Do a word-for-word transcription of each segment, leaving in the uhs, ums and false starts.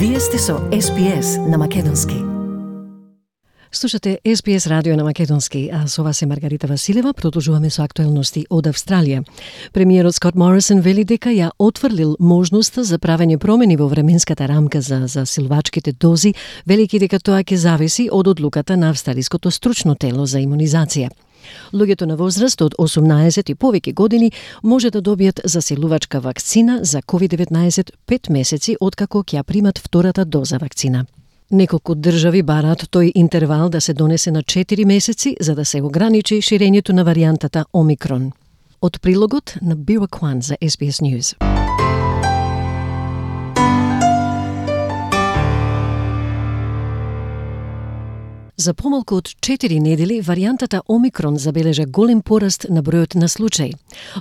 Вие сте со Ес Би Ес на Македонски. Слушате Ес Би Ес радио на Македонски, а со вас е Маргарита Василева. Продолжуваме со актуелности од Австралија. Премиерот Скот Морисон вели дека ја отфрлил можноста за правење промени во временската рамка за засилувачките дози, велики дека тоа ќе зависи од одлуката на австралиското стручно тело за имунизација. Луѓето на возраст од осумнаесет и повеќе години може да добијат засилувачка вакцина за ковид деветнаесет пет месеци откако ќе ја примат втората доза вакцина. Неколку држави бараат тој интервал да се донесе на четири месеци за да се ограничи ширењето на варијантата Омикрон. Од прилогот на Бира Кван за Ес Би Ес News. За помалку од четири недели, варијантата Омикрон забележа голем пораст на бројот на случаи.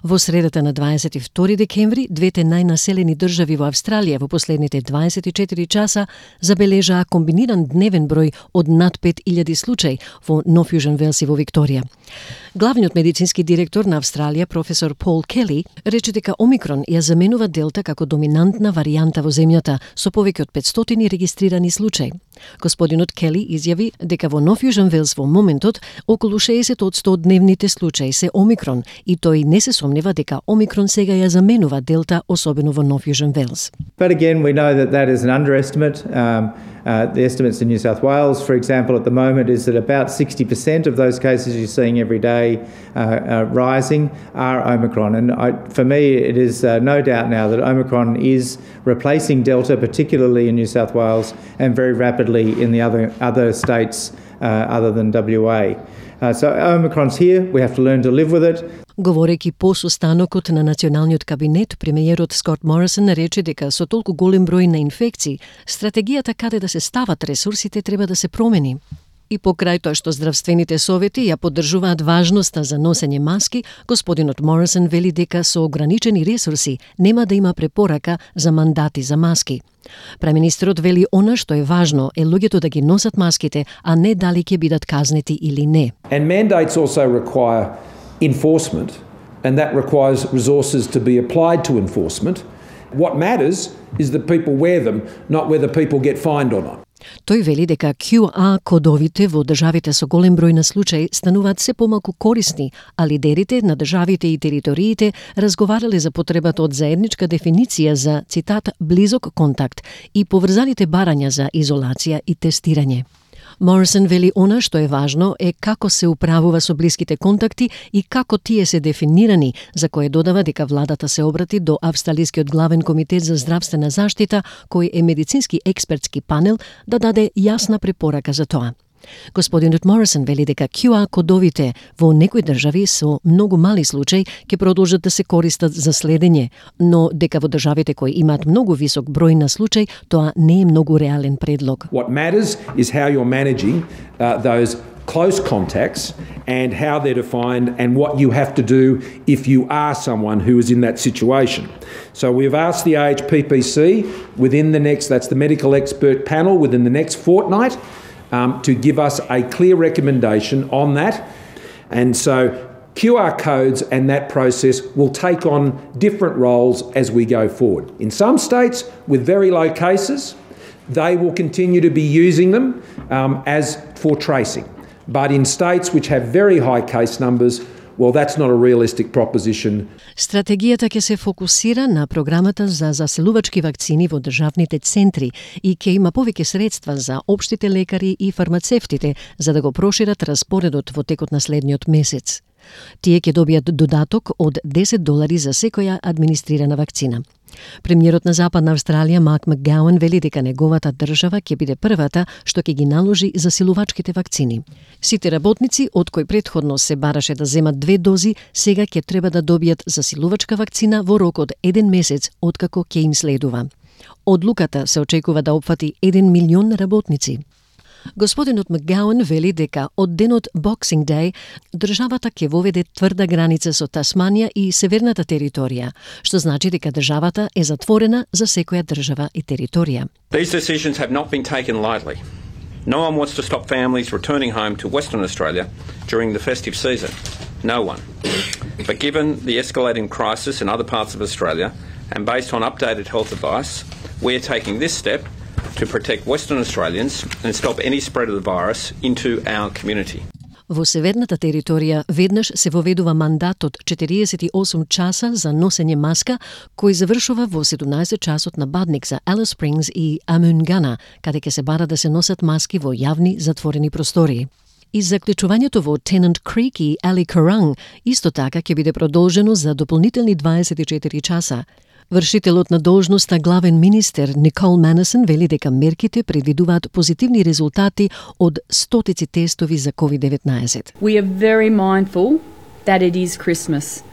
Во средата на дваесет и втори декември, двете најнаселени држави во Австралија во последните дваесет и четири часа забележаа комбиниран дневен број од над пет илјади случаи во Нов Јужен Велс и во Викторија. Главниот медицински директор на Австралија, професор Пол Кели, рече дека Омикрон ја заменува Делта како доминантна варијанта во земјата со повеќе од петстотини регистрирани случаи. Господинот Кели изјави дека во Нов Јужен Велс во моментот околу шеесет одсто од дневните случаи се Омикрон и тој не се сомнева дека Омикрон сега ја заменува Делта, особено во Нов Јужен Велс. But again, we know that that is an underestimate. Um, uh, the estimates in New South Wales, for example, at the moment is that about sixty percent of those cases you're seeing every day uh, uh, rising are Omicron. And I, for me, it is uh, no doubt now that Omicron is replacing Delta, particularly in New South Wales, and very rapidly in the other, other states uh, other than W A. Uh, so Omicron's here, we have to learn to live with it. Говорејќи по состанокот на националниот кабинет, премиерот Скот Морисон рече дека со толку голем број на инфекции, стратегијата каде да се стават ресурсите треба да се промени. И покрај тоа што здравствените совети ја поддржуваат важноста за носење маски, господинот Морисон вели дека со ограничени ресурси нема да има препорака за мандати за маски. Премиерот вели она што е важно е луѓето да ги носат маските, а не дали ќе бидат казнети или не. And mandates also require enforcement, and that requires resources to be applied to enforcement. What matters is that people wear them, not whether people get fined or not. Тој вели дека Q R кодовите во државите со голем број на случаи стануваат се помалку корисни, а лидерите на државите и териториите разговарале за потребата од заедничка дефиниција за, цитат, близок контакт и поврзаните барања за изолација и тестирање. Морисон вели она што е важно е како се управува со блиските контакти и како тие се дефинирани, за кое додава дека владата се обрати до Австралискиот главен комитет за здравствена заштита, кој е медицински експертски панел, да даде јасна препорака за тоа. Господинот Морисон вели дека Q R кодовите во некои држави со многу мали случаи ќе продолжат да се користат за следење, но дека во државите кои имаат многу висок број на случаи, тоа не е многу реален предлог. What matters is how you're managing uh, those close contacts and how they're defined and what you have to do if you are someone who is in that situation. So we've asked the A H P P C within the next, that's the medical expert panel, within the next fortnight, Um, to give us a clear recommendation on that. And so Q R codes and that process will take on different roles as we go forward. In some states with very low cases, they will continue to be using them um, as for tracing. But in states which have very high case numbers, well, that's not a realistic proposition. Стратегијата ќе се фокусира на програмата за заселувачки вакцини во државните центри и ќе има повеќе средства за општите лекари и фармацевтите за да го прошират распоредот во текот на следниот месец. Тие ќе добијат додаток од десет долари за секоја администрирана вакцина. Премиерот на Западна Австралија Марк Макгауан вели дека неговата држава ќе биде првата што ќе ги наложи засилувачките вакцини. Сите работници од кои претходно се бараше да земат две дози, сега ќе треба да добијат засилувачка вакцина во рок од еден месец откако ќе им следува. Одлуката се очекува да опфати еден милион работници. Господинот Макгауан вели дека од денот Boxing Day државата ќе воведе тврда граница со Тасманија и северната територија, што значи дека државата е затворена за секоја држава и територија. These decisions have not been taken lightly. No one wants to stop families returning home to Western Australia during the festive season. No one. But given the escalating crisis in other parts of Australia, and based on updated health advice, we are taking this step to protect Western Australians and stop any spread of the virus into our community. Во северната територија веднаш се воведува мандат од четириесет и осум часа за носење маска, кој завршува во седумнаесет часот на бадник за Алис Спрингс и Амунгана, каде ќе се бара да се носат маски во јавни затворени простории. И заклучувањето во Тенант Крик и Али Каранг исто така ќе биде продолжено за дополнителни дваесет и четири часа. Вршителот на должноста главен министер Никол Манисон вели дека мерките предвидуваат позитивни резултати од стотици тестови за ковид деветнаесет. We are very mindful that it is Christmas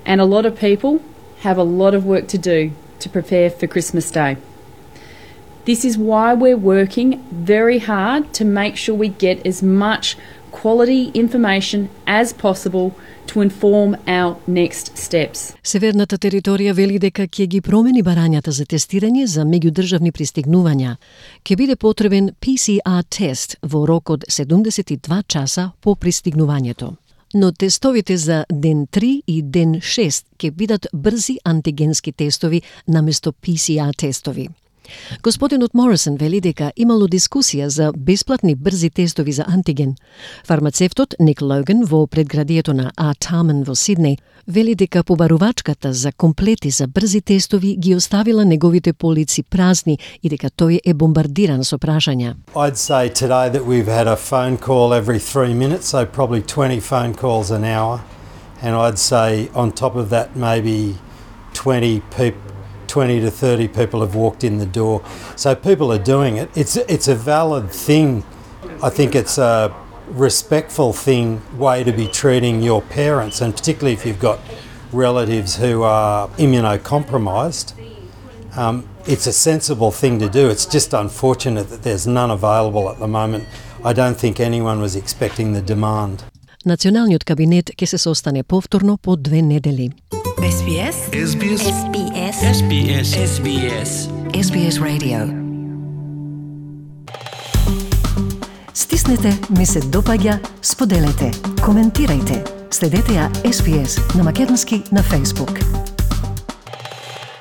and a lot of people have a lot of work to do to prepare for Christmas Day. This is why we're working very hard to make sure we get as much quality information as possible to inform our next steps. Северната територија вели дека ќе ги промени барањата за тестирање за меѓудржавни пристигнувања. Ќе биде потребен P C R тест во рок од седумдесет и два часа по пристигнувањето. Но тестовите за ден три и ден шест ќе бидат брзи антигенски тестови наместо P C R тестови. Господинот Морисон вели дека имало дискусија за бесплатни брзи тестови за антиген. Фармацевтот Ник Логан во предградието на Artarmon во Сиднеј вели дека побарувачката за комплети за брзи тестови ги оставила неговите полици празни и дека тој е бомбардиран со прашања. I'd say today that we've had a phone call every three minutes, so probably twenty phone calls an hour. And I'd say on top of that maybe twenty people twenty to thirty people have walked in the door. So people are doing it. It's it's a valid thing. I think it's a respectful thing, way to be treating your parents, and particularly if you've got relatives who are immunocompromised. Um, it's a sensible thing to do. It's just unfortunate that there's none available at the moment. I don't think anyone was expecting the demand. Националниот кабинет ќе се состане повторно по две недели. S B S S B S S B S S B S S B S S B S Radio. Стиснете, ми се допаѓа, споделете, коментирајте. Следете ја S B S на македонски на Facebook.